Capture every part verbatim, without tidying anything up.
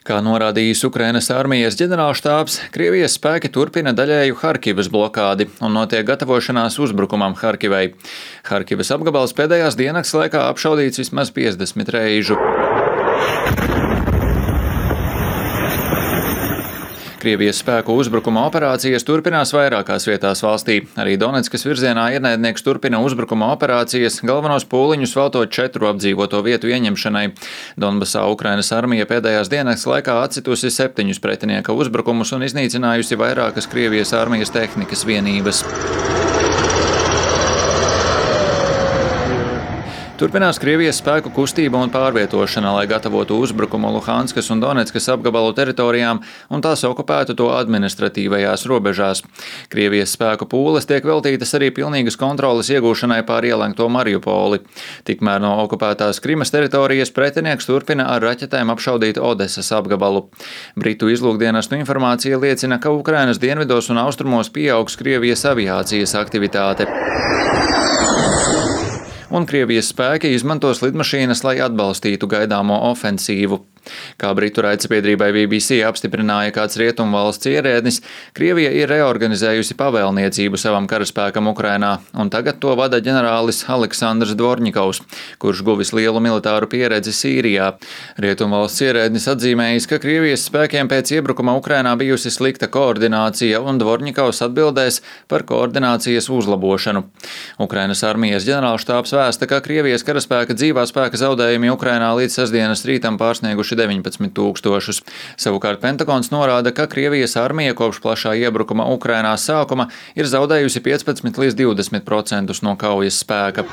Kā norādījis Ukrainas armijas ģenerālštābs, Krievijas spēki turpina daļēju Harkivas blokādi un notiek gatavošanās uzbrukumam Harkivai. Harkivas apgabals pēdējās diennakts laikā apšaudīts vismaz piecdesmit reižu. Krievijas spēku uzbrukuma operācijas turpinās vairākās vietās valstī. Arī Doneckas virzienā ienaidnieks turpina uzbrukuma operācijas, galvenos pūliņus veltot četru apdzīvoto vietu ieņemšanai. Donbasā Ukrainas armija pēdējās diennakts laikā atcitusi septiņus pretinieka uzbrukumus un iznīcinājusi vairākas Krievijas armijas tehnikas vienības. Turpinās Krievijas spēku kustība un pārvietošana, lai gatavotu uzbrukumu Luhanskas un Doneckas apgabalu teritorijām un tās okupētu to administratīvajās robežās. Krievijas spēku pūles tiek veltītas arī pilnīgas kontroles iegūšanai pār ielenkto Mariupoli. Tikmēr no okupētās Krimas teritorijas pretinieks turpina ar raķetēm apšaudīt Odesas apgabalu. Britu izlūkdienestu informācija liecina, ka Ukrainas dienvidos un austrumos pieaugs Krievijas aviācijas aktivitāte. Un Krievijas spēki izmantos lidmašīnas, lai atbalstītu gaidāmo ofensīvu. Kā Britu raidsabiedrībai B B C apstiprināja kāds rietumvalsts ierēdnis, Krievija ir reorganizējusi pavēlniecību savam karaspēkam Ukrainā, un tagad to vada ģenerālis Aleksandrs Dvorņikovs, kurš guvis lielu militāru pieredzi Sīrijā. Rietumvalsts ierēdnis atzīmējis, ka Krievijas spēkiem pēc iebrukuma Ukrainā bijusi slikta koordinācija, un Dvorņikovs atbildēs par koordinācijas uzlabošanu. Ukrainas armijas ģenerālštābs vēsta, ka Krievijas karaspēka dzīvā spēka zaudējumi Ukrainā līdz sestdienas rītam pārsnieguši deviņpadsmit tūkstošus. Savukārt Pentagons norāda, ka Krievijas armija kopš plašā iebrukuma Ukrainā sākuma ir zaudējusi piecpadsmit līdz divdesmit procentus no kaujas spēka.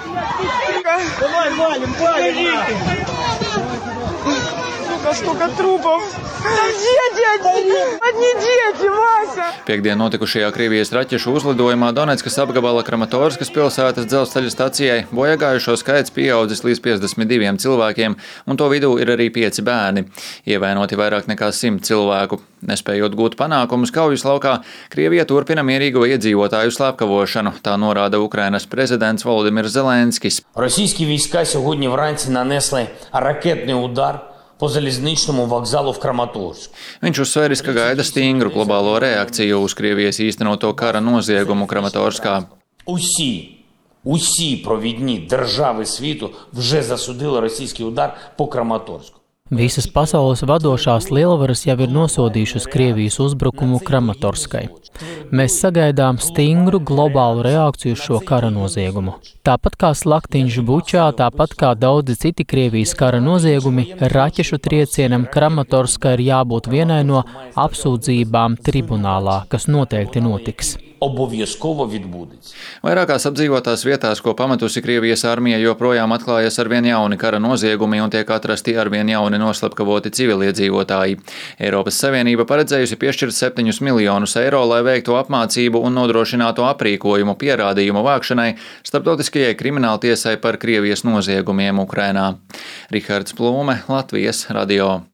Piektdien notikušajā Krievijas raķešu uzlidojumā Doneckas apgabala Kramatorskas pilsētas dzelzceļa stacijai bojagājušo skaits pieaudzis līdz piecdesmit diviem cilvēkiem, un to vidū ir arī pieci bērni. Ievainoti vairāk nekā simt cilvēku. Nespējot gūt panākumus kaujas laukā, Krievija turpina mierīgo iedzīvotāju slepkavošanu, tā norāda Ukrainas prezidents Volodimirs Zelenskis. Російські війська сьогодні вранці нанесли ракетний удар по залізничному вокзалу в Краматорську. Viņš uzsvēris, ka gaida stingru globālo reakciju uz Krievijas īstenoto kara noziegumu Kramatorskā. Усі, усі провідні держави світу вже засудили російський удар по Краматорську. Visas pasaules vadošās lielvaras jau ir nosodījušas Krievijas uzbrukumu Kramatorskai. Mēs sagaidām stingru globālu reakciju uz šo kara noziegumu. Tāpat kā slaktiņš Bučā, tāpat kā daudzi citi Krievijas kara noziegumi, raķešu triecienam Kramatorskai ir jābūt vienai no apsūdzībām tribunālā, kas noteikti notiks. Обов'язково відбудеться. Vairākās apdzīvotās vietās, ko pametusi Krievijas armija, joprojām atklājas arvien jauni kara noziegumi un tiek atrasti arvien jauni noslepkavoti civiliedzīvotāji. Eiropas Savienība paredzējusi piešķirt septiņus miljonus eiro, lai veiktu apmācību un nodrošinātu aprīkojumu pierādījumu vākšanai starptautiskajai krimināltiesai par Krievijas noziegumiem Ukrainā. Rihards Plūme, Latvijas radio.